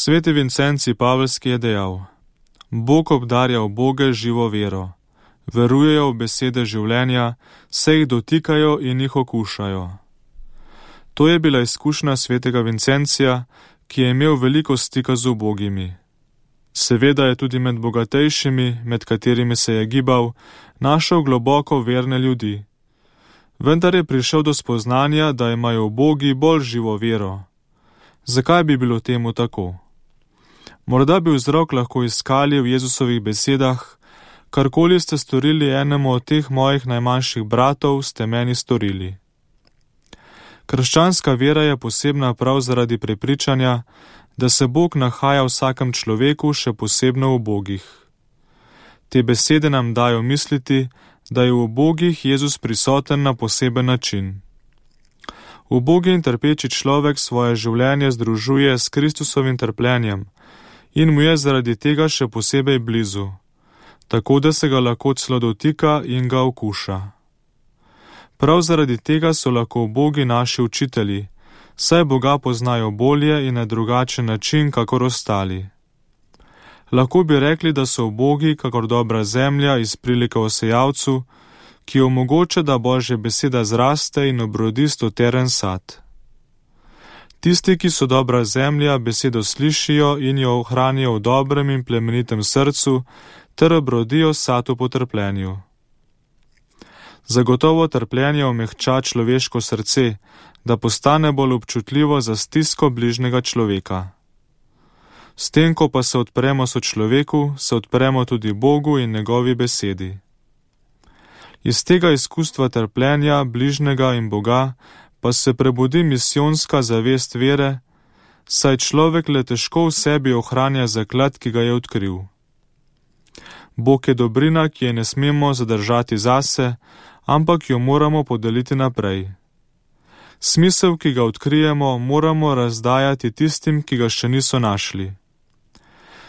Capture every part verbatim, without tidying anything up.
Sveti Vincenci Pavelski je dejal: Bog obdarja uboge živo vero, verujejo v besede življenja, se jih dotikajo in jih okušajo. To je bila izkušnja svetega Vincencija, ki je imel veliko stika z ubogimi. Seveda je tudi med bogatejšimi, med katerimi se je gibal, našel globoko verne ljudi. Vendar je prišel do spoznanja, da imajo ubogi bolj živo vero. Zakaj bi bilo temu tako? Morda bi vzrok lahko iskali v Jezusovih besedah: karkoli ste storili enemu od teh mojih najmanjših bratov, ste meni storili. Krščanska vera je posebna prav zaradi prepričanja, da se Bog nahaja v vsakem človeku, še posebno v ubogih. Te besede nam dajo misliti, da je v ubogih Jezus prisoten na poseben način. Ubogi in trpeči človek svoje življenje združuje s Kristusovim trpljenjem in mu je zaradi tega še posebej blizu, tako da se ga lahko celo dotika in ga okuša. Prav zaradi tega so lahko ubogi naši učitelji, saj Boga poznajo bolje in na drugačen način, kakor ostali. Lahko bi rekli, da so ubogi kakor dobra zemlja iz prilike o sejavcu, ki omogoča, da Božja beseda zraste in obrodi stoteren sad. Tisti, ki so dobra zemlja, besedo slišijo in jo ohranijo v dobrem in plemenitem srcu, ter obrodijo sad v potrpljenju. Zagotovo trpljenje omehča človeško srce, da postane bolj občutljivo za stisko bližnjega človeka. S tem, ko pa se odpremo sočloveku, se odpremo tudi Bogu in njegovi besedi. Iz tega izkustva trpljenja bližnjega in Boga pa se prebudi misijonska zavest vere, saj človek le težko v sebi ohranja zaklad, ki ga je odkril. Bog je dobrina, ki je ne smemo zadržati zase, ampak jo moramo podeliti naprej. Smisel, ki ga odkrijemo, moramo razdajati tistim, ki ga še niso našli.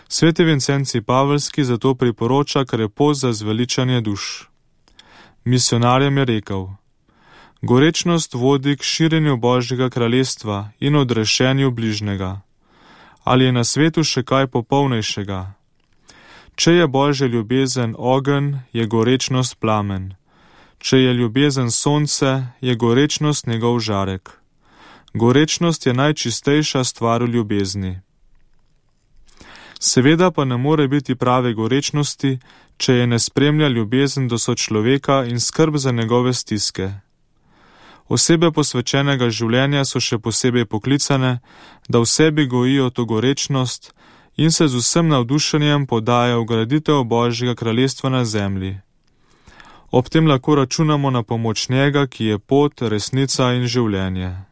Sveti Vincenci Pavelski zato priporoča krepost za zveličanje duš. Misionarjem je rekel: gorečnost vodi k širjenju Božjega kraljestva in odrešenju bližnjega. Ali je na svetu še kaj popolnejšega? Če je Božja ljubezen ogenj, je gorečnost plamen. Če je ljubezen sonce, je gorečnost njegov žarek. Gorečnost je najčistejša stvar v ljubezni. Seveda pa ne more biti prave gorečnosti, če je ne spremlja ljubezen do sočloveka in skrb za njegove stiske. Osebe posvečenega življenja so še posebej poklicane, da v sebi gojijo to gorečnost in se z vsem navdušenjem podajo v graditev Božjega kraljestva na zemlji. Ob tem lahko računamo na pomoč njega, ki je pot, resnica in življenje.